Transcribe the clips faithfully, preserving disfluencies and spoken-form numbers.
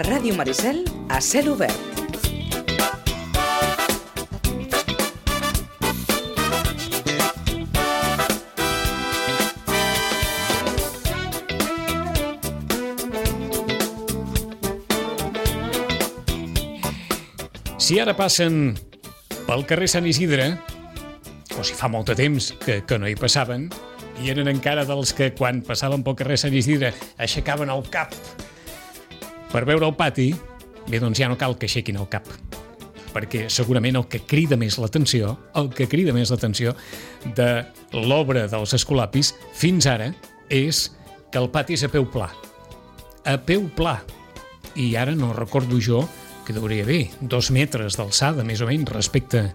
Ràdio Maricel, a cel obert. Si ara passen pel carrer Sant Isidre, o si fa molt de temps que, que no hi passaven, i eren encara dels que quan passaven pel carrer Sant Isidre aixecaven el cap per veure el pati, bé, doncs ja no cal que aixequin el cap, perquè segurament el que crida més l'atenció, el que crida més l'atenció de l'obra dels Escolapis fins ara és que el pati és a peu pla. A peu pla. I ara no recordo jo que hauria bé dos metres d'alçada, més o menys, respecte,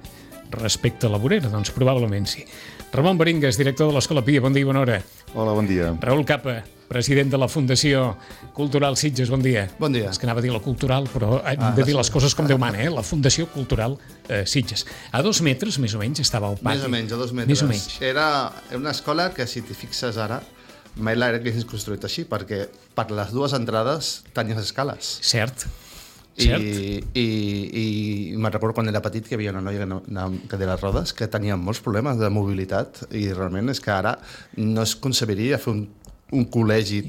respecte a la vorera. Doncs probablement sí. Ramon Baringas, director de l'Escola Pia, bon dia i bona hora. Hola, bon dia. Raül Capa, president de la Fundació Cultural Sitges, bon dia. Bon dia. És que anava a dir la cultural, però hem ah, de dir les coses com Déu mana, eh? La Fundació Cultural eh, Sitges. A dos metres, més o menys, estava el pati. Més o menys, a dos metres. Més o menys. Era una escola que, si t'hi fixes ara, mai l'haguessin construït així, perquè per les dues entrades tenies escales. Cert. I, i, i me'n recordo quan era petit que hi havia una noia que anava amb cadira de rodes que tenia molts problemes de mobilitat i realment és que ara no es concebiria fer un, un col·legi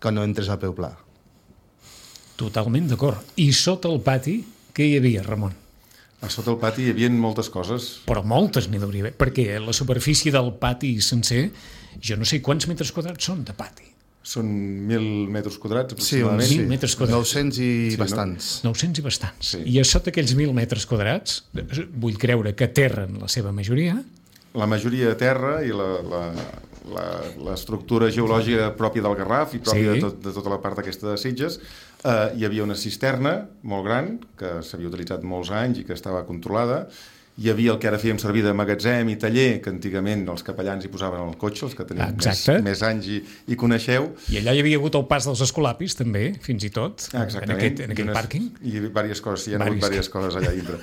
que no entres a peu pla. Totalment d'acord. I sota el pati, què hi havia, Ramon? A sota el pati hi havia moltes coses. Però moltes n'hi hauria d'haver, perquè la superfície del pati sencer, jo no sé quants metres quadrats són de pati. Són mil metres quadrats, sí, aproximadament. Sí, metres quadrats. nou-cents i sí, bastants. No? nou-cents i bastants. Sí. I a sota aquells mil metres quadrats, vull creure que aterren la seva majoria. La majoria a terra i la, la, la, l'estructura geològica pròpia del Garraf i pròpia sí. de, tot, de tota la part aquesta de Sitges. Eh, hi havia una cisterna molt gran que s'havia utilitzat molts anys i que estava controlada. Hi havia el que ara fèiem servir de magatzem i taller, que antigament els capellans hi posaven al cotxe, els que tenien més, més anys i, i coneixeu. I allà hi havia hagut el pas dels Escolapis, també, fins i tot, exactament. en aquest, en aquell unes, pàrquing. I diverses coses, hi ha hagut Varis. diverses coses allà dintre.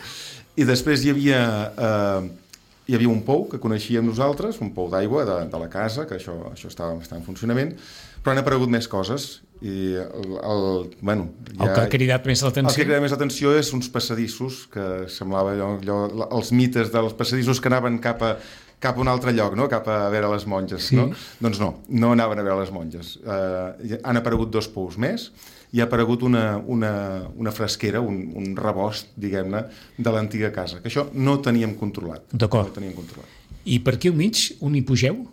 I després hi havia, eh, hi havia un pou que coneixíem nosaltres, un pou d'aigua de, de la casa, que això, això estava, estava en funcionament, però han aparegut més coses. I el, el, bueno, ja, el que ha cridat més l'atenció. El que ha cridat més l'atenció és uns passadissos, que semblava allò, allò, els mites dels passadissos que anaven cap a, cap a un altre lloc, no? Cap a veure les monges. Sí. No? Doncs no, no anaven a veure les monges. Uh, han aparegut dos pous més i ha aparegut una, una, una fresquera, un, un rebost, diguem-ne, de l'antiga casa, que això no teníem controlat. D'acord. No teníem controlat. I per aquí al mig, on hi pugeu?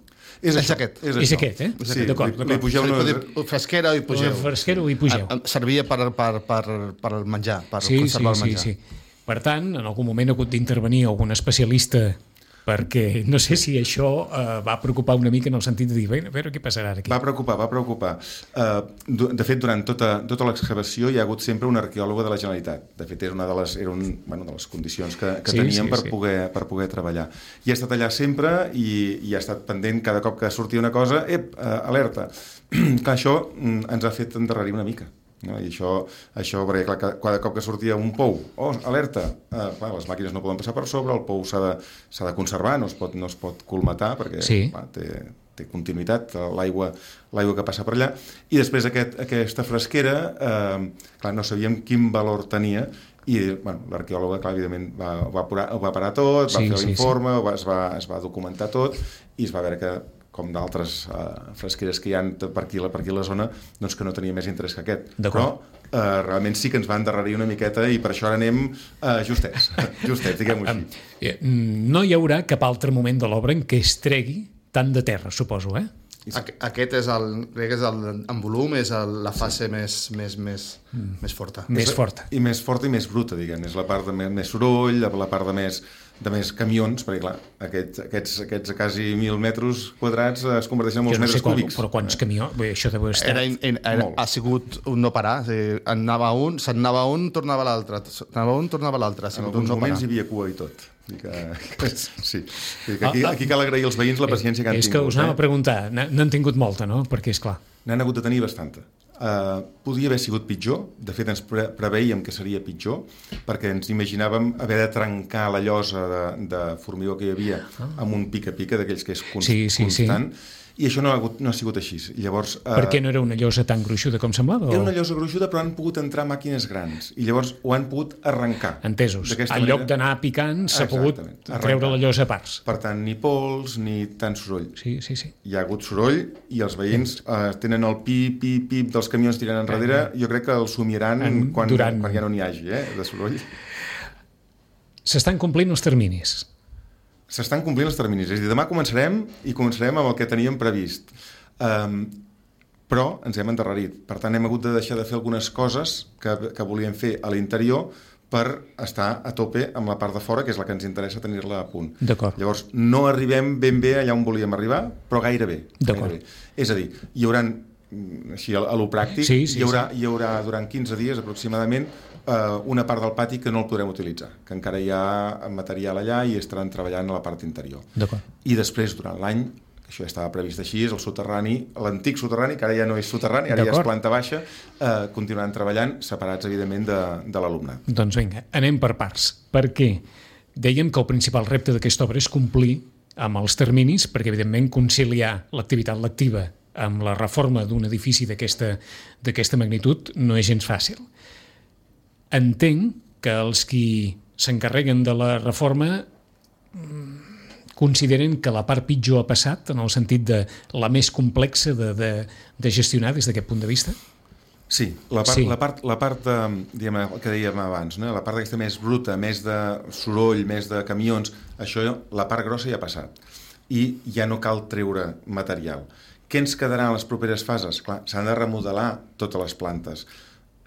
És, és aquest. És, és aquest, eh? Sí, d'acord, li, li pugeu una... una... Fresquera i pugeu. Fresquera i pugeu. Servia per, per, per, per el menjar, per sí, conservar sí, el menjar. Sí, sí. Per tant, en algun moment ha hagut d'intervenir algun especialista, perquè no sé si això eh, va preocupar una mica en el sentit de dir, a veure què passarà aquí. Va preocupar, va preocupar. Uh, de fet, durant tota, tota l'excavació hi ha hagut sempre un arqueòloga de la Generalitat. De fet, era una de les, era un, bueno, de les condicions que, que sí, teníem sí, per, sí. Poder, per poder treballar. I ha estat allà sempre i, i ha estat pendent cada cop que sortia una cosa, ep, uh, alerta. Que això mm, ens ha fet endarrerir una mica. No? I això, això perquè clar, cada cop que sortia un pou, oh, alerta, eh, clar, les màquines no poden passar per sobre, el pou s'ha de, s'ha de conservar, no es pot, no es pot colmatar perquè sí. clar, té, té continuïtat l'aigua, l'aigua que passa per allà, i després aquest, aquesta fresquera eh, clar, no sabíem quin valor tenia i bueno, l'arqueòloga clar, evidentment va, va, parar, va parar tot, va sí, fer l'informe, sí, sí. es, va, es va documentar tot i es va veure que com d'altres uh, fresqueres que hi ha per aquí, per aquí a la zona, doncs que no tenia més interès que aquest. Però uh, realment sí que ens va endarrerir una miqueta i per això ara anem uh, justets, justets, diguem-ho així. No hi haurà cap altre moment de l'obra en què es tregui tant de terra, suposo, eh? Aquest és el, crec que és el, en volum, és el, la fase sí. més, més, més, mm. més forta. Més forta. I més forta i més bruta, diguem. És la part de més, més soroll, la part de més, de més camions, perquè clar, aquests, aquests, aquests quasi mil metres quadrats es converteixen en molts no metres qual, cúbics. Però quants eh? camions? Bé, això deu estar... Era, era, era, ha sigut un no parar. O sigui, anava un, se'n anava un, tornava l'altre. Anava un, tornava l'altre. En alguns no moments parar. Hi havia cua i tot. Que, que, sí. Que aquí, aquí cal agrair als veïns la paciència que han és tingut. És que us anava eh? a preguntar, n'han tingut molta, no? Perquè, és clar. N'han hagut de tenir bastanta. Uh, podia haver sigut pitjor, de fet ens pre preveiem que seria pitjor, perquè ens imaginàvem haver de trencar la llosa de, de formigó que hi havia ah. amb un pica-pica d'aquells que és const sí, sí, constant, sí. I això no ha, hagut, no ha sigut així. Llavors, eh, per què no era una llosa tan gruixuda com semblava? Era o... una llosa gruixuda, però han pogut entrar màquines grans i llavors ho han pogut arrencar. Entesos. En manera... lloc d'anar picant, s'ha pogut arrencar. Treure la llosa a parts. Per tant, ni pols ni tant soroll. Sí, sí, sí. Hi ha hagut soroll i els veïns eh, tenen el pip, pip, pip dels camions tirant enrere. Jo crec que el somiaran en, quan, durant... quan ja no n'hi hagi, eh, de soroll. S'estan complint els terminis. S'estan complint els terminis. És a dir, demà començarem i començarem amb el que teníem previst. Um, però ens hem endarrerit. Per tant, hem hagut de deixar de fer algunes coses que, que volíem fer a l'interior per estar a tope amb la part de fora, que és la que ens interessa tenir-la a punt. D'acord. Llavors, no arribem ben bé allà on volíem arribar, però gairebé. D'acord. Gairebé. És a dir, hi haurà, així a lo pràctic, sí, sí, hi, haurà, sí. hi haurà durant quinze dies aproximadament una part del pati que no el podrem utilitzar, que encara hi ha material allà i estaran treballant a la part interior. I després, durant l'any, això ja estava previst així, és el soterrani, l'antic soterrani, que ara ja no és soterrani, ara ja és planta baixa, eh, continuaran treballant separats, evidentment, de, de l'alumnat. Doncs vinga, anem per parts. Per què? Dèiem que el principal repte d'aquesta obra és complir amb els terminis, perquè, evidentment, conciliar l'activitat lectiva amb la reforma d'un edifici d'aquesta d'aquesta magnitud no és gens fàcil. Entenc que els qui s'encarreguen de la reforma consideren que la part pitjor ha passat, en el sentit de la més complexa de, de, de gestionar des d'aquest punt de vista? Sí, la part, sí. La part, la part de, diguem, que dèiem abans, no? La part aquesta més bruta, més de soroll, més de camions, això, la part grossa ja ha passat. I ja no cal treure material. Què ens quedarà en les properes fases? Clar, s'han de remodelar totes les plantes.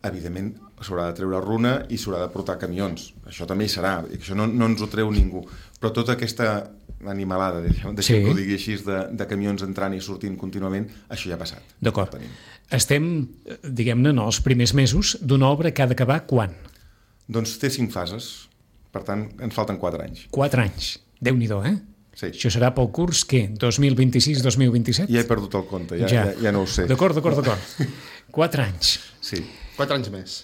Evidentment, s'haurà de treure runa i s'haurà de portar camions. Això també hi serà, i això no, no ens ho treu ningú. Però tota aquesta animalada, deixem sí. que ho digui així, de, de camions entrant i sortint contínuament, això ja ha passat. D'acord. Estem, diguem-ne, en els primers mesos d'una obra que ha d'acabar quan? Doncs té cinc fases. Per tant, ens falten quatre anys. Quatre anys. Déu-n'hi-do, eh? Sí. Això serà pel curs, què? dos mil vint-i-sis dos mil vint-i-set? Ja he perdut el compte, ja, ja. ja, ja no ho sé. D'acord, d'acord, d'acord. Quatre anys. Sí. Quatre anys més.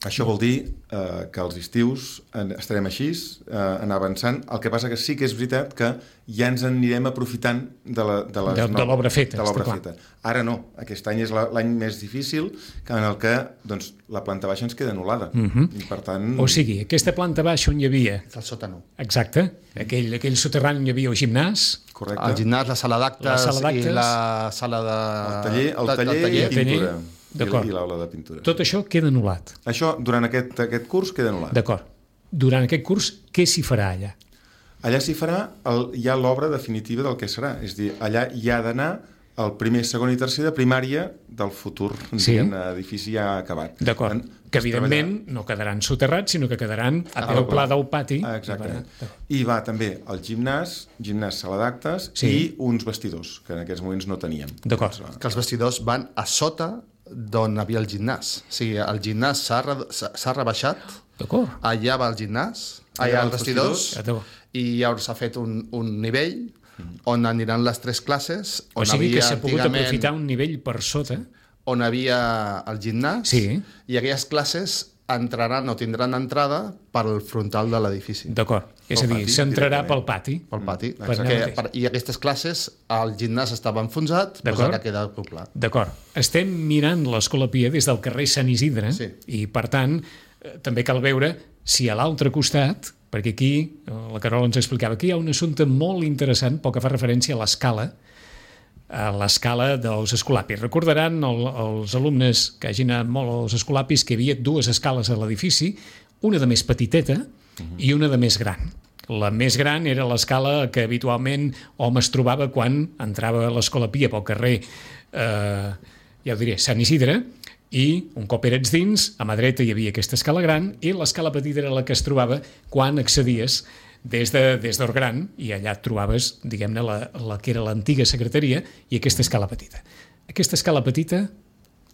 Això vol dir eh, que els estius estarem així, eh, anar avançant. El que passa que sí que és veritat que ja ens anirem aprofitant de la, de les de, de l'obra feta. De l'obra feta. Ara no, aquest any és l'any més difícil, en el que doncs, la planta baixa ens queda anul·lada. Uh-huh. I per tant... O sigui, aquesta planta baixa on hi havia... El sòtano. Exacte. Aquell, aquell soterrani on hi havia el gimnàs. Correcte. El gimnàs, la sala d'actes i la sala de... El taller, el taller, el taller i pintura. I, i l'aula de pintura. Tot això queda anul·lat. Això, durant aquest, aquest curs, queda anul·lat. D'acord. Durant aquest curs, què s'hi farà allà? Allà s'hi farà el, ja l'obra definitiva del que serà. És a dir, allà hi ha d'anar el primer, segon i tercer de primària del futur sí. edifici ja acabat. D'acord. Que, evidentment, treballar... no quedaran soterrats, sinó que quedaran a peu pla del pati. Exactament. I va també el gimnàs, gimnàs sala d'actes sí. i uns vestidors, que en aquests moments no teníem. D'acord. Doncs, que els vestidors van a sota d'on havia el gimnàs. O sigui, el gimnàs s'ha re, rebaixat, d'acord. Allà va el gimnàs, allà els vestidors, vestidors, i llavors s'ha fet un, un nivell mm. on aniran les tres classes. On o sigui havia, que s'ha pogut aprofitar un nivell per sota. On havia el gimnàs, sí. i aquelles classes entraran o tindran entrada pel frontal de l'edifici. D'acord. És a dir, s'entrarà pel pati. Pel pati. Mm, perquè, per, I aquestes classes, el gimnàs estava enfonsat, doncs ara queda poblat. D'acord. Estem mirant l'Escola Pia des del carrer Sant Isidre sí. i, per tant, també cal veure si a l'altre costat, perquè aquí, la Carola ens explicava, aquí hi ha un assumpte molt interessant, pel que fa referència a l'escala, a l'escala dels escolapis. Recordaran el, els alumnes que hagin anat molt als escolapis que hi havia dues escales a l'edifici, una de més petiteta uh-huh. i una de més gran. La més gran era l'escala que habitualment hom es trobava quan entrava a l'Escola Pia pel carrer, eh, ja ho diré, Sant Isidre, i un cop eres dins, a mà dreta hi havia aquesta escala gran i l'escala petita era la que es trobava quan accedies des de, des d'Orgran, i allà et trobaves, diguem-ne, la, la que era l'antiga secretaria i aquesta escala petita. Aquesta escala petita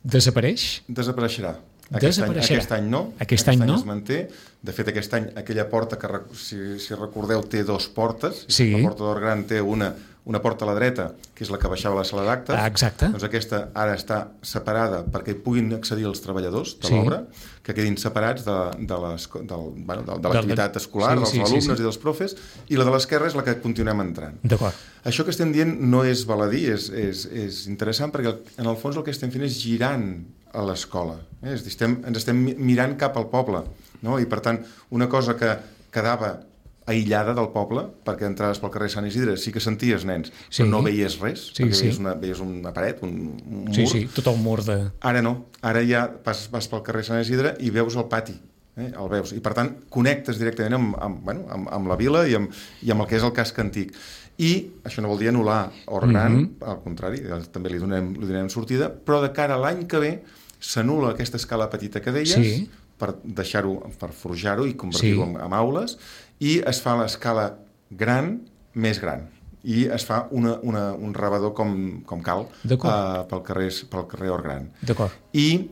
desapareix? Desapareixerà. Aquest any, aquest any no. Aquest, aquest any, any no? Es manté. De fet, aquest any aquella porta que, si, si recordeu, té dos portes. Sí. La porta d'Orgran té una, una porta a la dreta, que és la que baixava a la sala d'actes. Ah, exacte. Doncs aquesta ara està separada perquè hi puguin accedir els treballadors de Sí. l'obra, que quedin separats de, de les- del- bueno, de, de l'activitat escolar, Sí, dels sí, sí, alumnes sí. i dels profes, i la de l'esquerra és la que continuem entrant. D'acord. Això que estem dient no és baladí, és, és, és interessant perquè en el fons el que estem fent és girant a l'escola. Eh? És a dir, estem, ens estem mirant cap al poble. No? I per tant, una cosa que quedava aïllada del poble, perquè entraves pel carrer Sant Isidre, sí que senties nens, Sí. però no veies res, Sí, perquè sí. veies, una, veies una paret, un, un mur. Sí, sí, tot el mur de... Ara no, ara ja vas, vas pel carrer Sant Isidre i veus el pati, eh? el veus, i per tant connectes directament amb, amb, bueno, amb, amb la vila i amb, i amb el que és el casc antic. I això no vol dir anul·lar Hort Gran, Mhm. al contrari, també li donem, li donem sortida, però de cara a l'any que ve s'anul·la aquesta escala petita que deies, Sí. per deixar-ho, per forjar-ho i convertir-ho Sí. en, en aules, i es fa l'escala gran més gran i es fa una, una, un rebedor com, com cal D'acord. uh, pel, carrer, pel carrer Hort Gran. D'acord. I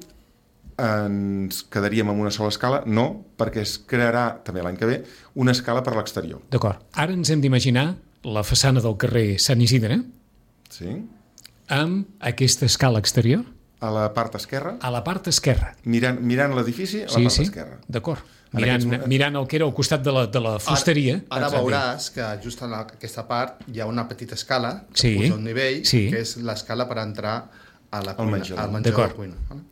ens quedaríem amb una sola escala? No, perquè es crearà també l'any que ve una escala per l'exterior. D'acord. Ara ens hem d'imaginar la façana del carrer Sant Isidre Sí? amb aquesta escala exterior A la part esquerra, a la part esquerra. mirant, mirant l'edifici a la Sí, part sí, esquerra. d'acord. En Mirant, aquests moments- mirant el que era al costat de la, de la fusteria. Ara, ara Exacte. veuràs que just en aquesta part hi ha una petita escala que Sí. puja un nivell, Sí. que és l'escala per entrar a la Al cuina, menjador. al menjador de D'acord. la cuina. Vale?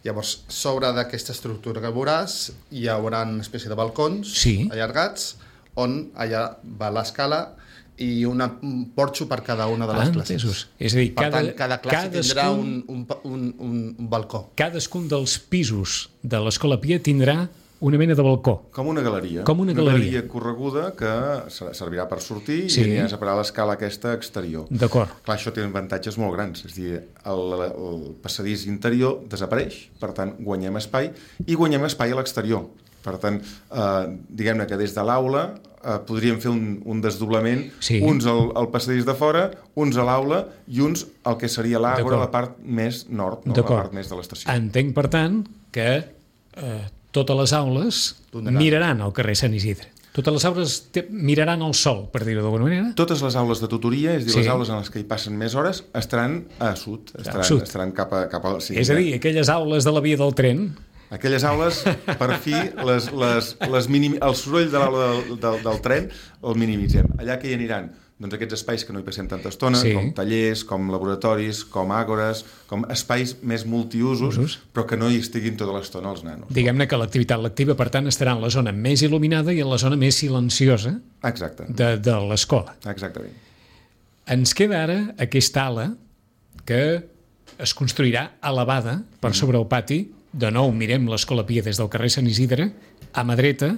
Llavors, sobre d'aquesta estructura que veuràs, hi haurà una espècie de balcons Sí. allargats, on allà va l'escala i una, un porxo per cada una de les Ah, classes. entesos. És a dir, Per cada, tant, cada classe tindrà cadascun, un, un, un, un, un balcó. cadascun dels pisos de l'Escola Pia tindrà una mena de balcó. Com una galeria. Com una galeria. Una galeria correguda que ser- servirà per sortir Sí. i aniràs a parar a l'escala aquesta exterior. D'acord. Clar, això té avantatges molt grans. És a dir, el, el passadís interior desapareix, per tant, guanyem espai, i guanyem espai a l'exterior. Per tant, eh, diguem-ne que des de l'aula eh, podríem fer un, un desdoblament, Sí. uns al, al passadís de fora, uns a l'aula i uns al que seria l'àgora, D'acord. la part més nord, no? la D'acord. part més de l'estació. Entenc, per tant, que eh, totes les aules Donaran. miraran al carrer Sant Isidre. Totes les aules te- miraran al sol, per dir-ho d'alguna manera. Totes les aules de tutoria, és a dir, Sí. les aules en les que hi passen més hores, estaran a sud, estaran, sud. estaran cap a... Cap a sí, És a dir, aquelles aules de la via del tren. aquelles aules, per fi, les, les, les minim... el soroll de l'aula del, del, del tren el minimitzem. Allà que hi aniran? Doncs aquests espais que no hi passem tanta estona, Sí. com tallers, com laboratoris, com àgores, com espais més multiusos, Usos. però que no hi estiguin tota l'estona els nanos. Diguem-ne que l'activitat lectiva, per tant, estarà en la zona més il·luminada i en la zona més silenciosa Exacte, de, de l'escola. exactament. Ens queda ara aquesta ala que es construirà elevada per sobre el pati. De nou, mirem l'Escola Pia des del carrer Sant Isidre, a mà dreta,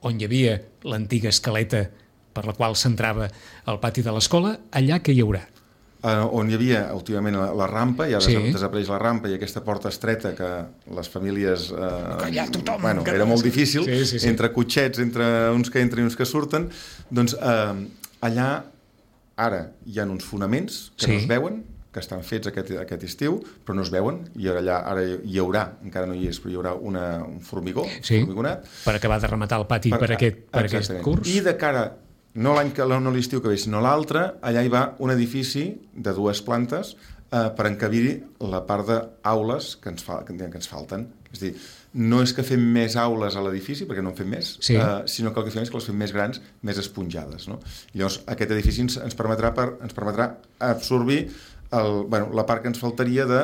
on hi havia l'antiga escaleta per la qual s'entrava al pati de l'escola, allà que hi haurà. Uh, on hi havia últimament la, la rampa, ja Sí. sí. desapareix la rampa i aquesta porta estreta que les famílies... Uh, allà tothom, bueno, que- era molt difícil, Sí, sí, sí. entre cotxets, entre uns que entren i uns que surten, doncs uh, allà ara hi ha uns fonaments que Sí. no es veuen, que estan fets aquest, aquest estiu, però no es veuen, i ara, allà, ara hi haurà, encara no hi és, però hi haurà una, un formigó, Sí. formigonat, Per acabar de rematar el pati per, per, aquest, per aquest Exactament. curs. I de cara, no l'any que no l'estiu que ve, sinó l'altre, allà hi va un edifici de dues plantes eh, per encabir la part d'aules que, ens fa, que, que ens falten. És a dir, no és que fem més aules a l'edifici, perquè no en fem més, Sí. eh, sinó que el que fem és que les fem més grans, més esponjades. No? Llavors, aquest edifici ens, ens, permetrà, per, ens permetrà absorbir el, bueno, la part que ens faltaria de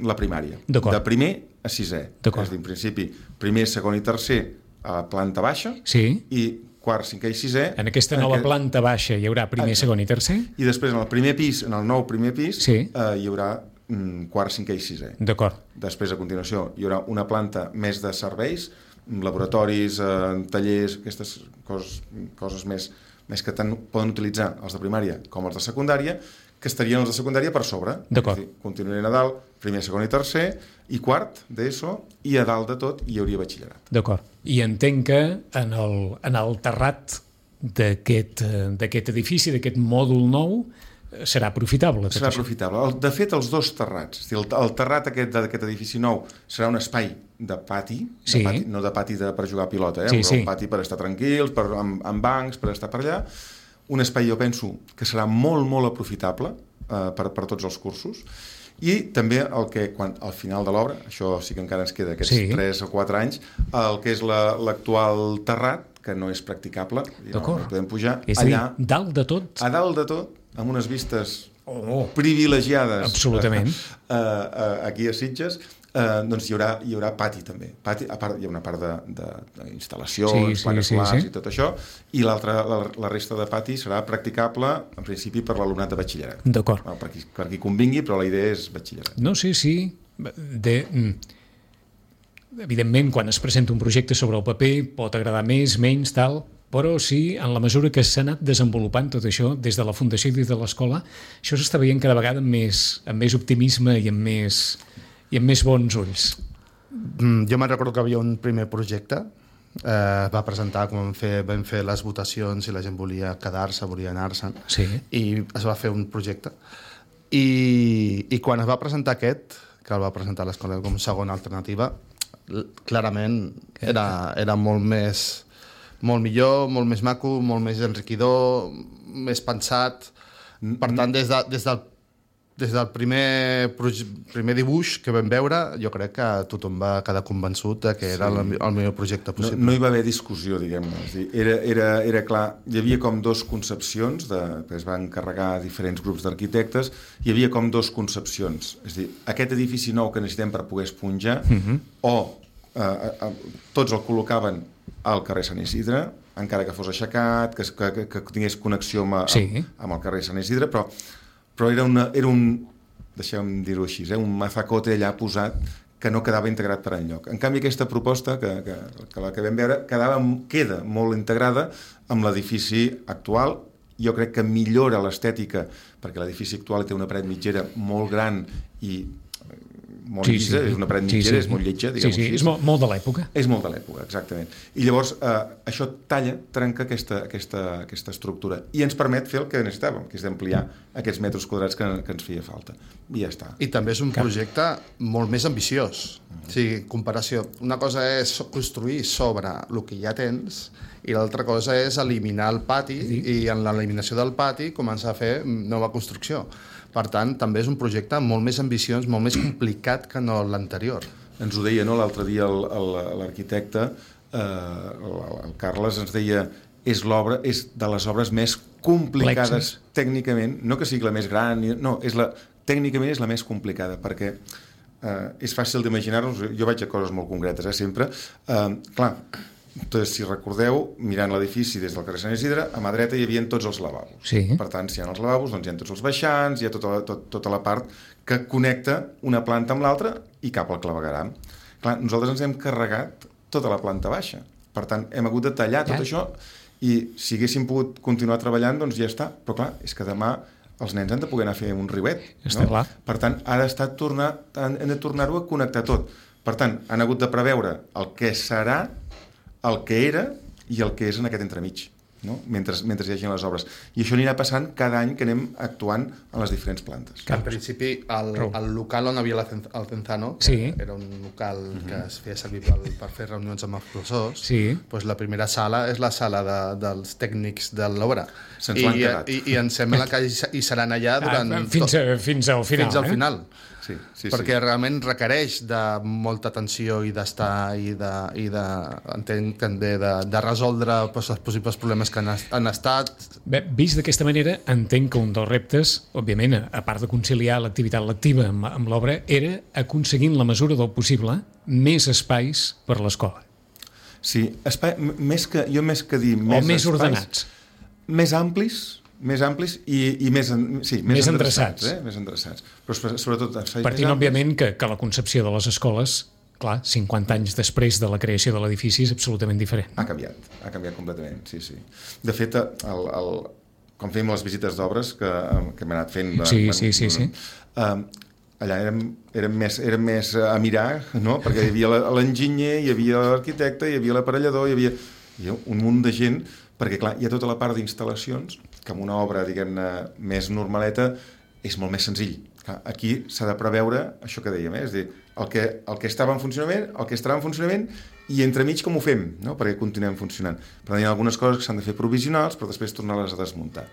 la primària. D'acord. De primer a sisè. D'acord. És a dir, en principi, primer, segon i tercer a la planta baixa, Sí. i quart, cinquè i sisè... En aquesta nova aquest- planta baixa hi haurà primer, Exacte. segon i tercer. I després, en el primer pis, en el nou primer pis, Sí. eh, hi haurà mm, quart, cinquè i sisè. D'acord. Després, a continuació, hi haurà una planta més de serveis, laboratoris, eh, tallers, aquestes coses, coses més, més que tant poden utilitzar els de primària com els de secundària, que estarien els de secundària per sobre. D'acord. És a dir, continuarien a dalt, primer, segon i tercer, i quart d'ESO, i a dalt de tot hi hauria batxillerat. D'acord. I entenc que en el, en el terrat d'aquest eh, d'aquest edifici, d'aquest mòdul nou, eh, serà aprofitable. tot Serà això. aprofitable. El, de fet, els dos terrats. És a dir, el, el terrat aquest d'aquest edifici nou serà un espai de pati, Sí. de pati no de pati de, per jugar a pilota, eh? Sí, però sí. un pati per estar tranquils, per, amb, amb bancs, per estar per allà. un espai, jo penso, que serà molt, molt aprofitable eh, per, per tots els cursos, i també el que, quan, al final de l'obra, això sí que encara ens queda aquests sí. tres o quatre anys, el que és la, l'actual terrat, que no és practicable, i no, no podem pujar, és allà, dir, dalt de tot? A dalt de tot, amb unes vistes oh, privilegiades absolutament. Uh, uh, aquí a Sitges, uh, doncs hi haurà, hi haurà pati també. Pati, a part, hi ha una part d'instal·lacions, sí, plaques sí, solars sí, sí. i tot això, i l'altra, la, la resta de pati serà practicable, en principi, per l'alumnat de batxillerat. D'acord. No, per, qui, per qui convingui, però la idea és batxillerat. No, sí, sí. De... Evidentment, quan es presenta un projecte sobre el paper, pot agradar més, menys, tal, però sí, en la mesura que s'ha anat desenvolupant tot això, des de la Fundació i des de l'escola, això s'està veient cada vegada amb més, amb més optimisme i amb més, i amb més bons ulls. Mm, jo me'n recordo que havia un primer projecte, eh, va presentar, quan vam fer, vam fer les votacions i la gent volia quedar-se, volia anar-se'n, sí. i es va fer un projecte. I, I quan es va presentar aquest, que el va presentar l'escola com segona alternativa, clarament era, era molt més molt millor, molt més maco, molt més enriquidor, més pensat. Per tant, des, de, des del des del primer, primer dibuix que vam veure, jo crec que tothom va quedar convençut de que era sí. el, el millor projecte possible. No, no hi va haver discussió, diguem-ne. Era, era, era clar, hi havia com dos concepcions, de, que es van encarregar diferents grups d'arquitectes, hi havia com dos concepcions. És a dir, aquest edifici nou que necessitem per poder esponjar, uh-huh. o eh, eh, tots el col·locaven al carrer Sant Isidre, encara que fos aixecat, que, que, que tingués connexió amb, sí. amb, amb el carrer Sant Isidre, però però era, una, era un, deixem dir-ho així, eh, un mazacote allà posat que no quedava integrat per enlloc. En canvi, aquesta proposta, que, que, que la que vam veure, quedava, queda molt integrada amb l'edifici actual. Jo crec que millora l'estètica, perquè l'edifici actual té una paret mitgera molt gran i molt sí, llisa, sí. és una paret mitgera, sí, sí. és molt lletja, diguem-ho sí, sí. així. És molt, molt de l'època. És molt de l'època, exactament. I llavors eh, això talla, trenca aquesta, aquesta, aquesta estructura i ens permet fer el que necessitàvem, que és d'ampliar aquests metres quadrats que, que ens feia falta. I ja està. I també és un projecte molt més ambiciós. Mm-hmm. O sigui, comparació. Una cosa és construir sobre el que ja tens i l'altra cosa és eliminar el pati sí. i en l'eliminació del pati començar a fer nova construcció. Per tant, també és un projecte molt més ambiciós, molt més complicat que no l'anterior. Ens ho deia, no?, l'altre dia el, el, l'arquitecte, eh, el, el Carles, ens deia és l'obra, és de les obres més complicades Plexes. tècnicament, no que sigui la més gran, no, és la, tècnicament és la més complicada, perquè eh, és fàcil d'imaginar-nos, jo vaig a coses molt concretes, eh, sempre, eh, clar, doncs, si recordeu, mirant l'edifici des del carrer Sant Isidre, a mà dreta hi havia tots els lavabos. Sí. Per tant, si hi ha els lavabos, doncs hi ha tots els baixants, hi ha tota la, tot, tota la part que connecta una planta amb l'altra i cap al clavegueram. Clar, nosaltres ens hem carregat tota la planta baixa. Per tant, hem hagut de tallar tot ja. això i si haguéssim pogut continuar treballant, doncs ja està. Però clar, és que demà els nens han de poder anar a fer un riuet. Està no? clar. Per tant, ha d'estar tornar, han de tornar-ho a connectar tot. Per tant, han hagut de preveure el que serà, el que era i el que és en aquest entremig, no? mentre, mentre hi hagi les obres. I això anirà passant cada any que anem actuant en les diferents plantes. En principi, el, el local on havia el Cenzano, que sí. era un local uh-huh. que es feia servir per, per fer reunions amb els professors, sí. doncs la primera sala és la sala de, dels tècnics de l'obra. Se'ns l'han quedat. I, I em sembla que hi seran allà durant... Ah, fins, a, fins al final. Fins al final. Eh? Sí, sí, perquè sí. realment requereix de molta atenció i d'estar i de, i de entenc també de, de resoldre doncs, els possibles problemes que han, han estat. Bé, vist d'aquesta manera, entenc que un dels reptes, òbviament, a part de conciliar l'activitat lectiva amb, amb l'obra, era aconseguir en la mesura del possible més espais per l'escola. Sí, espai, més que, jo més que dir més, o més espais, ordenats. Més amplis, més amplis i, i més, sí, més, més endreçats. endreçats. Eh? Més endreçats. Però sobretot... Partint, òbviament, que, que la concepció de les escoles, clar, cinquanta anys després de la creació de l'edifici és absolutament diferent. Ha canviat, ha canviat completament, sí, sí. De fet, el, el, quan fèiem les visites d'obres que, que hem anat fent... Sí, bueno, sí, sí, sí. Uh, allà érem, érem, més, érem més a mirar, no? Perquè hi havia l'enginyer, hi havia l'arquitecte, hi havia l'aparellador, hi havia, hi havia un munt de gent, perquè clar, hi ha tota la part d'instal·lacions que amb una obra, diguem-ne, més normaleta és molt més senzill. Clar, aquí s'ha de preveure això que dèiem, eh? És a dir, el que, el que estava en funcionament, el que estarà en funcionament i entremig com ho fem, no? Perquè continuem funcionant. Per tant, hi ha algunes coses que s'han de fer provisionals, però després tornar-les a desmuntar.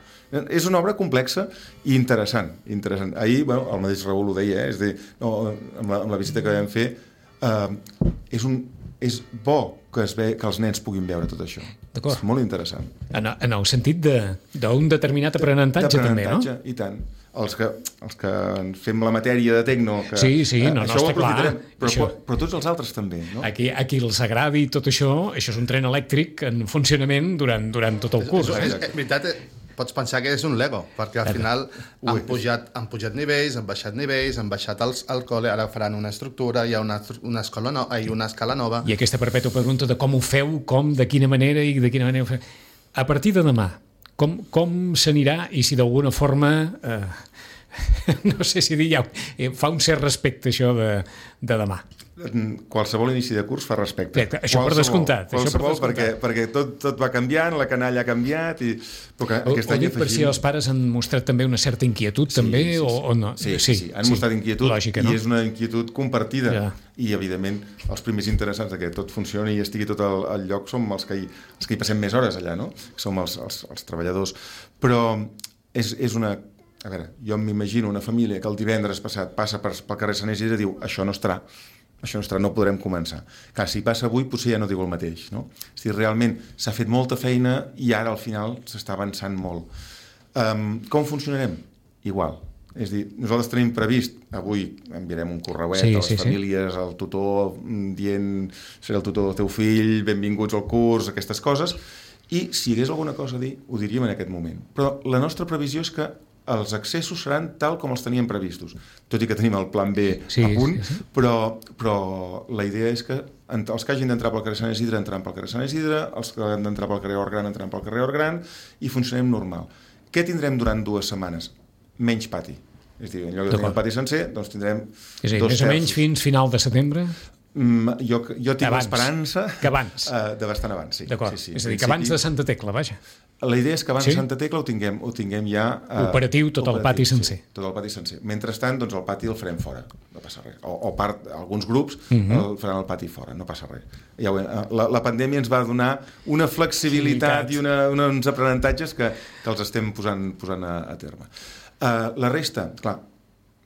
És una obra complexa i interessant. interessant. Ahir, bueno, el mateix Raül ho deia, eh? És dir, no, amb, la, amb la visita que vam fer, eh, és, un, és bo que, es ve, que els nens puguin veure tot això. És molt interessant. En, en el sentit d'un de, determinat aprenentatge, també, no? I tant. Els que, els que fem la matèria de tecno, que, sí, sí, no, eh, no, això ho està clar. Però, això... però tots els altres també, no? Aquí, aquí els agradi tot això, això és un tren elèctric en funcionament durant, durant tot el curs. És, és, és, veritat, pots pensar que és un Lego, perquè al final han pujat, han pujat nivells, han baixat nivells, han baixat els, el col·le, ara faran una estructura, hi ha una, una, escola no, hi ha una escala nova. I aquesta perpètua pregunta de com ho feu, com, de quina manera i de quina manera ho feu. A partir de demà, com, com s'anirà i si d'alguna forma... Eh, no sé si dir ja, fa un cert respecte això de, de demà. Qualsevol inici de curs fa respecte. Bé, això qualsevol, per descomptat. Qualsevol, això per descomptat. perquè, perquè tot, tot va canviant, la canalla ha canviat i... Però que o, aquest any any afegim... per si els pares han mostrat també una certa inquietud, sí, també, sí, sí. O, o no? Sí, sí, sí, han sí, mostrat inquietud, lògica, no? I és una inquietud compartida. Ja. I, evidentment, els primers interessants que tot funcioni i estigui tot al, al lloc som els que, hi, els que hi passem més hores allà, no? Som els, els, els treballadors. Però és, és una... A veure, jo m'imagino una família que el divendres passat passa per, pel carrer Sant Isidre i diu això no estarà, això no estarà, no podrem començar. Clar, si passa avui potser ja no diu el mateix, no? És a dir, realment s'ha fet molta feina i ara al final s'està avançant molt. Um, com funcionarem? Igual. És a dir, nosaltres tenim previst, avui enviarem un correuet sí, a les sí, famílies, sí. Al tutor, dient seré el tutor del teu fill, benvinguts al curs, aquestes coses, i si hi hagués alguna cosa a dir, ho diríem en aquest moment. Però la nostra previsió és que els accessos seran tal com els teníem previstos, tot i que tenim el plan B sí, a punt, sí, sí. Però, però la idea és que els que hagin d'entrar pel carrer Sant Isidre entraran pel carrer Sant Isidre, els que han d'entrar pel carrer Hortgran entraran pel carrer Hortgran i funcionem normal. Què tindrem durant dues setmanes? Menys pati. És a dir, en lloc de tenir el pati sencer, doncs tindrem és a dir, dos més terços. O menys fins final de setembre? Mm, jo, jo tinc l'esperança uh, de bastant abans, sí. D'acord, sí, sí. És a dir, que abans de Santa Tecla, vaja. La idea és que abans sí? de Santa Tecla ho tinguem, ho tinguem ja... Uh, operatiu, tot operatiu, el pati sencer. Sí, tot el pati sencer. Mentrestant, doncs el pati el farem fora, no passa res. O, o part, alguns grups uh-huh. el faran el pati fora, no passa res. Ja ho, la, la pandèmia ens va donar una flexibilitat sí, i una, una, uns aprenentatges que, que els estem posant, posant a, a terme. Uh, la resta, clar,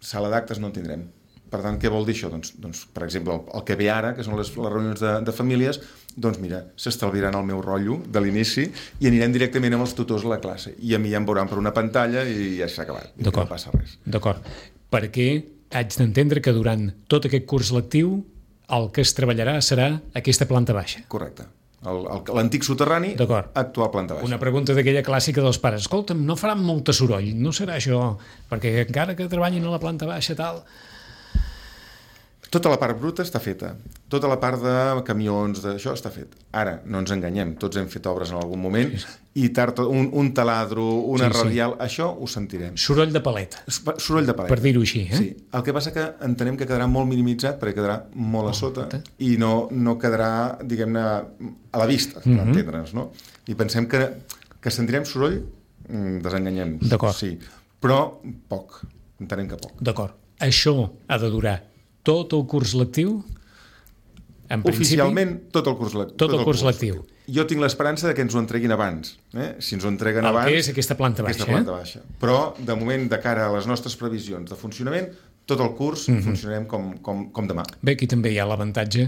sala d'actes no en tindrem. Per tant, què vol dir això? Doncs, doncs per exemple, el, el que ve ara, que són les, les reunions de, de famílies, doncs mira, s'estalviaran el meu rotllo de l'inici i anirem directament amb els tutors a la classe. I a mi ja em veuran per una pantalla i ja s'ha acabat. I no passa res. D'acord. Perquè haig d'entendre que durant tot aquest curs lectiu el que es treballarà serà aquesta planta baixa. Correcte. L'antic soterrani, actual planta baixa. Una pregunta d'aquella clàssica dels pares. Escolta'm, no faran molt soroll, no serà això? Perquè encara que treballin a la planta baixa tal... Tota la part bruta està feta. Tota la part de camions, d'això està fet. Ara, no ens enganyem, tots hem fet obres en algun moment sí, sí. I tard, un, un taladro, una sí, radial, sí. Això ho sentirem. Soroll de paleta. Soroll de paleta. Per dir-ho així, eh? Sí. El que passa que entenem que quedarà molt minimitzat perquè quedarà molt a sota oh, i no, no quedarà, diguem-ne, a la vista, per mm-hmm. entendre'ns, no? I pensem que, que sentirem soroll, desenganyem-nos. D'acord. Sí. Però poc, entenem que poc. D'acord. Això ha de durar tot el curs lectiu? En Oficialment, tot el curs, le- tot tot el curs, curs lectiu. Jo tinc l'esperança de que ens ho entreguin abans. Eh? Si ens ho entreguen el abans... El que és aquesta planta baixa. Aquesta planta baixa. Eh? Però, de moment, de cara a les nostres previsions de funcionament, tot el curs mm-hmm. funcionarem com, com, com demà. Bé, aquí també hi ha l'avantatge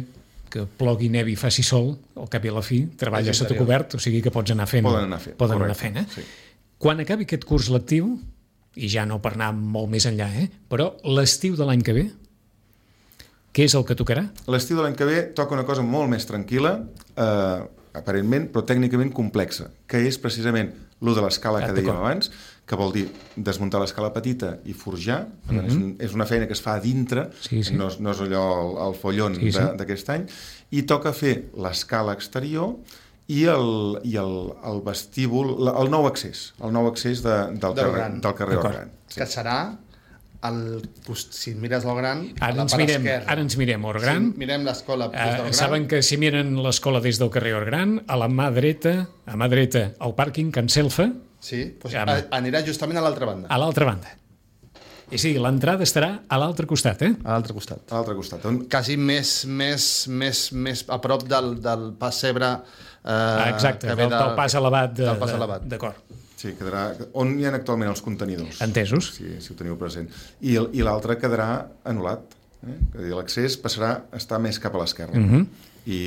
que plogui, nevi, faci sol, al cap i a la fi, treballa sota cobert, o sigui que pots anar fent. Poden anar fent. Poden anar fent, eh? Sí. Quan acabi aquest curs lectiu, i ja no per anar molt més enllà, eh? Però l'estiu de l'any que ve, què és el que tocarà? L'estiu de l'any que ve toca una cosa molt més tranquil·la, eh, aparentment, però tècnicament complexa, que és precisament lo de l'escala ah, que dèiem abans, que vol dir desmuntar l'escala petita i forjar. Per tant, mm-hmm. és, un, és una feina que es fa a dintre, sí, sí. No, no és allò el, el follon sí, sí. d'aquest any, i toca fer l'escala exterior i el, i el, el vestíbul, el nou accés, el nou accés de, del, del carrer, del carrer Hortgran. Sí. Que serà... El, si mires el Gran, ara a la ens part mirem, esquerra. Ara ens mirem Hortgran. Si mirem l'escola des del Gran. Saben que si miren l'escola des del carrer Hortgran, a la mà dreta, a mà dreta, el pàrquing Can Selfa. Sí, doncs ja, anirà justament a l'altra banda. A l'altra banda. És a dir, l'entrada estarà a l'altre costat, eh? A l'altre costat. A l'altre costat. On... Quasi més, més, més, més a prop del, del pessebre eh, Ah, exacte, que ve del, del pas elevat. De, del pas de- elevat. D'acord. Sí, quedarà... On hi ha actualment els contenidors? Entesos. Si, si ho teniu present. I, el- i l'altre quedarà anul·lat. Eh? És a dir, l'accés passarà a estar més cap a l'esquerra. Mhm. I,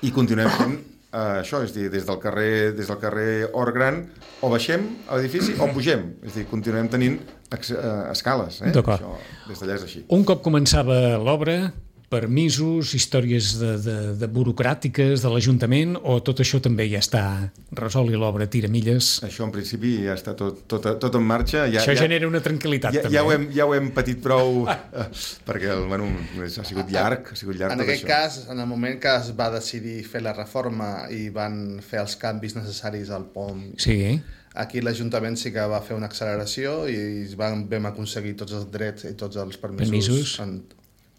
I continuem fent eh, això, és a dir, des del carrer, des del carrer Or Gran o baixem a l'edifici o pugem. És a dir, continuem tenint acce- eh, escales. Eh? D'acord. Això, des d'allà és així. Un cop començava l'obra, permisos, històries de, de, de burocràtiques de l'Ajuntament, o tot això també ja està resolt i l'obra tira milles? Això en principi ja està tot, tot, tot en marxa. Ja, Això ja, genera una tranquil·litat, ja, també. ja, ho hem, ja ho hem patit prou eh, perquè el, bueno, ha sigut llarg, ha sigut llarg En tot aquest això. cas, en el moment que es va decidir fer la reforma i van fer els canvis necessaris al pont, Sí, aquí l'Ajuntament sí que va fer una acceleració i van, vam aconseguir tots els drets i tots els permisos, Permisos. En,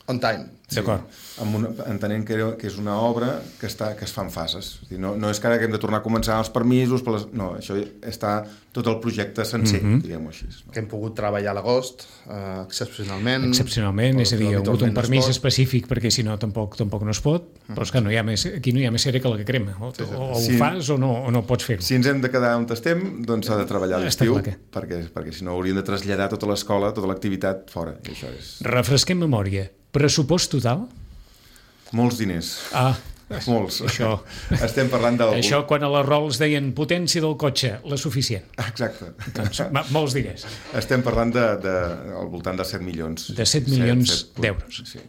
on time. d'acord. Amb una, entenent que, era, que és una obra que, està, que es fa en fases. És dir, no, no és que ara que hem de tornar a començar els permisos, per les, no, això està tot el projecte sencer, mm -hmm. diguem-ho així. No? Que hem pogut treballar a l'agost, eh, excepcionalment. Excepcionalment, és a dir, hi ha hagut un habitualment no es permís pot. específic perquè si no tampoc tampoc no es pot, però és que no hi ha més, aquí no hi ha més cera que la que crema. O, Sí, sí. o ho Sí. fas o no, o no pots fer-ho. Si ens hem de quedar on estem, doncs s'ha de treballar a Està l'estiu, clar que- perquè, perquè si no hauríem de traslladar tota l'escola, tota l'activitat fora. I això és... Refresquem memòria. Pressupost total? Molts diners. Ah, Molts. Això- Estem parlant del... això quan a les rols deien potència del cotxe, la suficient. Exacte. Doncs ma- molts diners. Estem parlant de, de, al voltant de set milions. De set milions set- d'euros. Sí.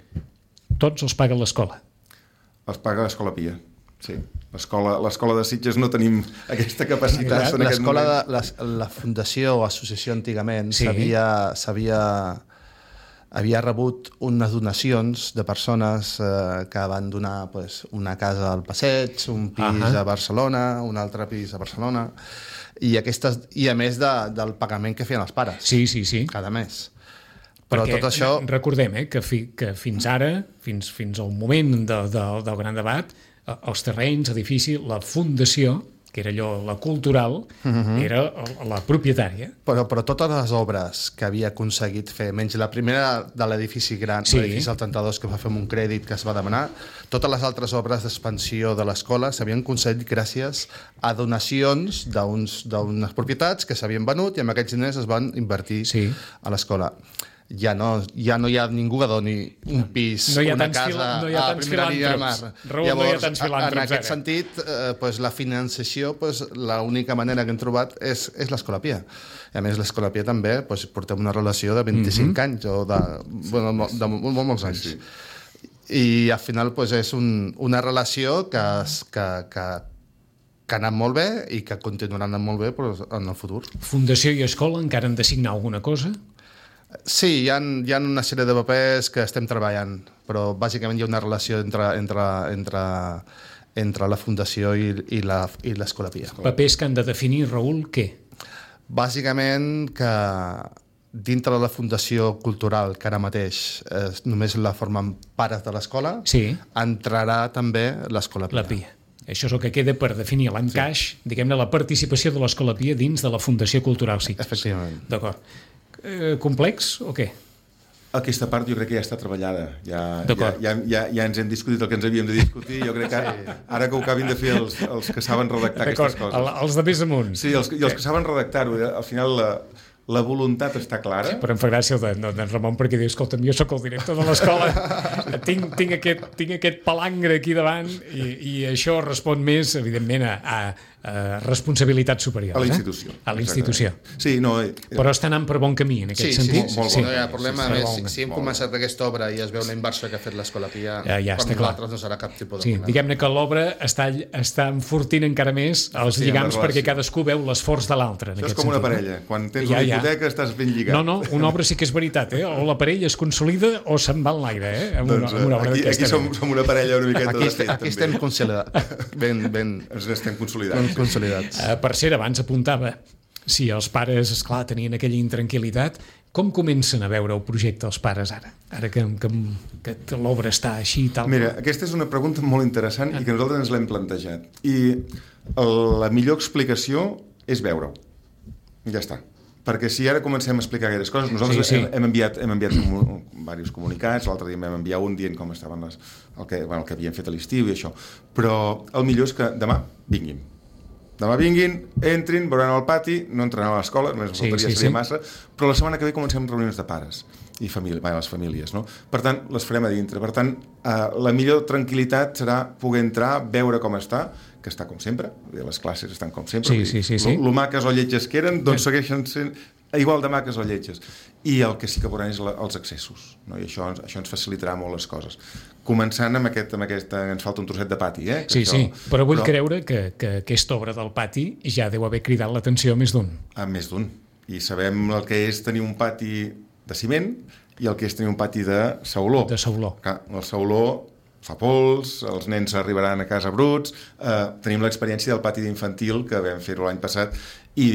Tots els paga l'escola. Els paga l'Escola Pia. Sí. L'escola l'escola de Sitges no tenim aquesta capacitat en aquest L'escola, moment. de, la, la fundació o associació antigament Sí. s'havia s'havia havia rebut unes donacions de persones eh, que van donar pues, una casa al Passeig, un pis Ahà. a Barcelona, un altre pis a Barcelona, i, aquestes, i a més de, del pagament que feien els pares Sí, sí, sí. cada mes. Però Perquè tot això... recordem eh, que, fi, que fins ara, fins, fins al moment de, de, del gran debat, eh, els terrenys, l'edifici, la fundació, que era allò, la cultural, uh -huh. era la propietària. Però, però totes les obres que havia aconseguit fer, menys la primera de l'edifici gran, Sí. l'edifici del trenta-dos, que va fer amb un crèdit que es va demanar, totes les altres obres d'expansió de l'escola s'havien aconseguit gràcies a donacions d'uns d'unes propietats que s'havien venut i amb aquests diners es van invertir Sí. a l'escola. Ja no, ja no hi ha ningú que doni un pis, No hi ha una tants casa fila- no hi ha a tants primera línia de filàntrops. mar. Raül, no hi ha tants en filàntrops aquest ara. sentit, eh, pues, la financiació, pues, l'única manera que hem trobat és, és l'Escola Pia. I a més, l'Escola Pia també pues, portem una relació de vint-i-cinc Mhm. anys o de, bueno, de, de, de molt, molts anys. Sí. I al final pues, és un, una relació que, es- que, que, que ha anat molt bé i que continuarà anant molt bé pues, en el futur. Fundació i escola encara han de signar alguna cosa? Sí, hi ha, hi ha una sèrie de papers que estem treballant, però bàsicament hi ha una relació entre, entre, entre, entre la Fundació i, i la- i l'Escola Pia. Papers que han de definir, Raül, què? Bàsicament que dintre de la Fundació Cultural, que ara mateix eh, només la formen pares de l'escola, Sí. entrarà també l'Escola Pia. La Pia. Això és el que queda per definir l'encaix, sí. diguem-ne, la participació de l'Escola Pia dins de la Fundació Cultural Sitges. Efectivament. D'acord. Eh, complex o què? Aquesta part jo crec que ja està treballada. Ja, ja, D'acord. ja, ja, ja ens hem discutit el que ens havíem de discutir. Jo crec que ara, ara que ho acabin de fer els, els que saben redactar D'acord, aquestes coses. el- els de més amunt. Sí, els, i els que saben redactar-ho. eh, Al final la, la voluntat està clara. Però em fa gràcia el de- no, d'en Ramon perquè diu, escolta'm, jo sóc el director de l'escola, tinc, tinc, aquest, tinc aquest palangre aquí davant i, i això respon més, evidentment, a, a, a responsabilitat superior. A la institució. Eh? A la institució. Exactament. Sí, no... eh, Però està anant per bon camí, en aquest Sí, sí, sentit. sí, molt sí, bon. no hi ha problema. Sí, A sí, més, molt si, bon. si hem començat aquesta obra i es veu la inversió que ha fet l'Escola Pia, Ja, ja, per està clar. nosaltres no serà cap tipus de Sí, problema. diguem-ne que l'obra està, està enfortint encara més els Sí, lligams la perquè relació. cadascú veu l'esforç de l'altre. en Això és aquest com una sentit, no? parella. Quan tens Ja, una ja. hipoteca estàs ben lligat. No, no, una obra sí que és veritat, eh? O la parella es consolida o se'n va en l'aire, eh? Amb una, Doncs, amb una obra aquí, d'aquesta aquí som, mena. som una parella una miqueta Aquí, de est fet, aquí estem també. consolidats. Ben, ben, Ens estem ben consolidant. consolidats. Eh, per cert, abans apuntava, si els pares, esclar, tenien aquella intranquil·litat, com comencen a veure el projecte els pares ara? Ara que, que, que l'obra està així i tal. Mira, aquesta és una pregunta molt interessant i que nosaltres ens l'hem plantejat. I el, la millor explicació és veure-ho. Ja està. perquè si ara comencem a explicar aquestes coses, nosaltres sí, sí. Hem, hem enviat, hem enviat comu diversos comunicats, l'altre dia vam enviar un dient com estaven les, el, que, bueno, el que havien fet a l'estiu i això, però el millor és que demà vinguin. Demà vinguin, entrin, veuran al pati, no entraran a l'escola, només sí, faltaria sí, seria sí. massa, però la setmana que ve comencem reunions de pares i família, bé, les famílies, no? Per tant, les farem a dintre. Per tant, eh, la millor tranquil·litat serà poder entrar, veure com està, que està com sempre, les classes estan com sempre, sí, sí, sí, sí. Lo, lo maques o lletges que eren, doncs sí. segueixen sent igual de maques o lletges. I el que sí que veuran és la, els accessos, no? I això, això ens facilitarà molt les coses. Començant amb aquest, amb aquesta, ens falta un trosset de pati, eh? Sí, això, sí, però vull però... creure que, que aquesta obra del pati ja deu haver cridat l'atenció a més d'un. A més d'un. I sabem el que és tenir un pati de ciment i el que és tenir un pati de sauló. De sauló. Clar, el sauló fa pols, els nens arribaran a casa bruts, eh, tenim l'experiència del pati d'infantil que vam fer-ho l'any passat i,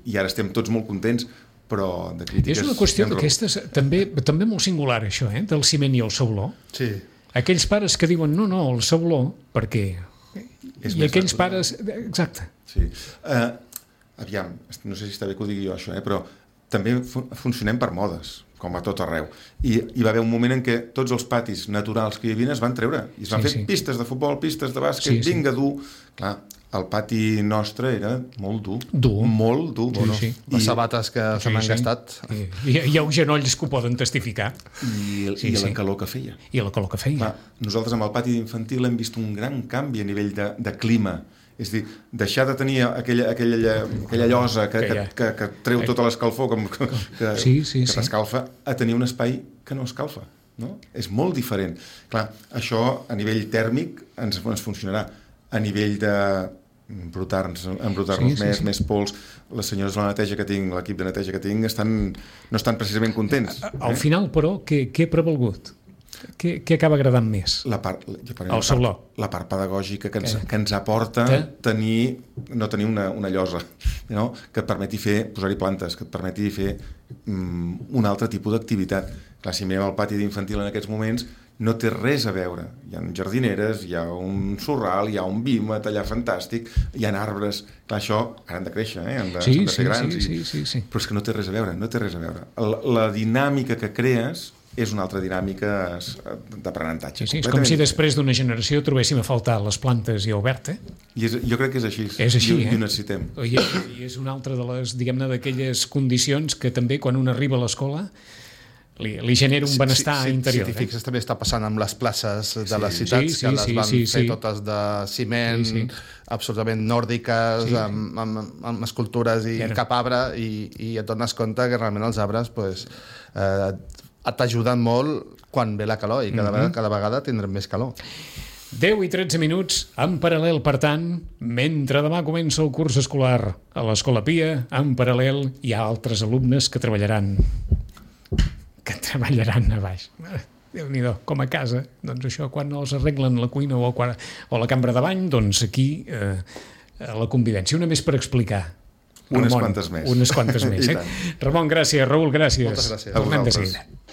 i ara estem tots molt contents, però de crítiques... És una qüestió d'aquestes també, també molt singular, això, eh? Del ciment i el sauló. Sí. Aquells pares que diuen no, no, el sauló, perquè... És I aquells natural. Pares... Exacte. Sí. Uh, aviam, no sé si està bé que ho digui jo, això, eh? Però també fu funcionem per modes, com a tot arreu. I hi va haver un moment en què tots els patis naturals que hi havia es van treure. I es van sí, fer sí. pistes de futbol, pistes de bàsquet, sí, vinga, sí. dur. Clar, el pati nostre era molt dur. Dur. Molt dur. Sí, bueno, sí. Les I... sabates que sí, se m'han sí. gastat. I, hi, hi ha uns genolls que ho poden testificar. I, sí, i la sí. calor que feia. I la calor que feia. Clar, nosaltres amb el pati d'infantil hem vist un gran canvi a nivell de, de clima. És a dir, deixar de tenir aquella, aquella, aquella llosa que, que, que, que treu tota l'escalfor que, que, sí, sí, que t'escalfa, a tenir un espai que no escalfa. No? És molt diferent. Clar, això a nivell tèrmic ens, ens funcionarà. A nivell de embrutar-nos embrutar sí, més, sí, sí. més pols, les senyores de la neteja que tinc, l'equip de neteja que tinc, estan, no estan precisament contents. Al eh? final, però, què, què ha prevalgut? Què, què acaba agradant més? La part, la, el sauló. La part pedagògica que ens, que ens aporta que? tenir, no tenir una, una llosa, no? Que et permeti fer, posar-hi plantes, que et permeti fer um, un altre tipus d'activitat. Clar, si mirem el pati d'infantil en aquests moments, no té res a veure. Hi ha jardineres, hi ha un sorral, hi ha un vímet allà fantàstic, hi ha arbres. Clar, això ara han de créixer, eh? han, de, sí, han de ser sí, grans. Sí, i... sí, sí, sí. Però és que no té res a veure, no té res a veure. La, la dinàmica que crees és una altra dinàmica d'aprenentatge. Sí, sí, és com si després d'una generació trobéssim a faltar les plantes i obert, eh? I és, jo crec que és així. És així, I, eh? I ho necessitem. I, I és una altra de les, diguem-ne, d'aquelles condicions que també quan un arriba a l'escola li, li genera un benestar sí, sí, interior. Si t'hi fixes, eh? També està passant amb les places de sí, les citats, sí, sí, que les sí, van sí, fer sí. totes de ciment, sí, sí. absolutament nòrdiques, sí. amb, amb, amb escultures i Era. cap arbre, i, i et dones compte que realment els arbres pues, eh, t'ajuden molt quan ve la calor, i cada, mm-hmm. vegada, cada vegada tindrem més calor. deu i tretze minuts en paral·lel, per tant, mentre demà comença el curs escolar a l'Escola Pia, en paral·lel hi ha altres alumnes que treballaran que treballaran a baix. Déu-n'hi-do, com a casa, doncs això, quan els arreglen la cuina o, quan, o la cambra de bany, doncs aquí eh, la convivència. Una més per explicar. Unes Ramon, quantes més. Unes quantes més. Eh? Ramon, gràcies. Raül, gràcies. Moltes gràcies. A vosaltres.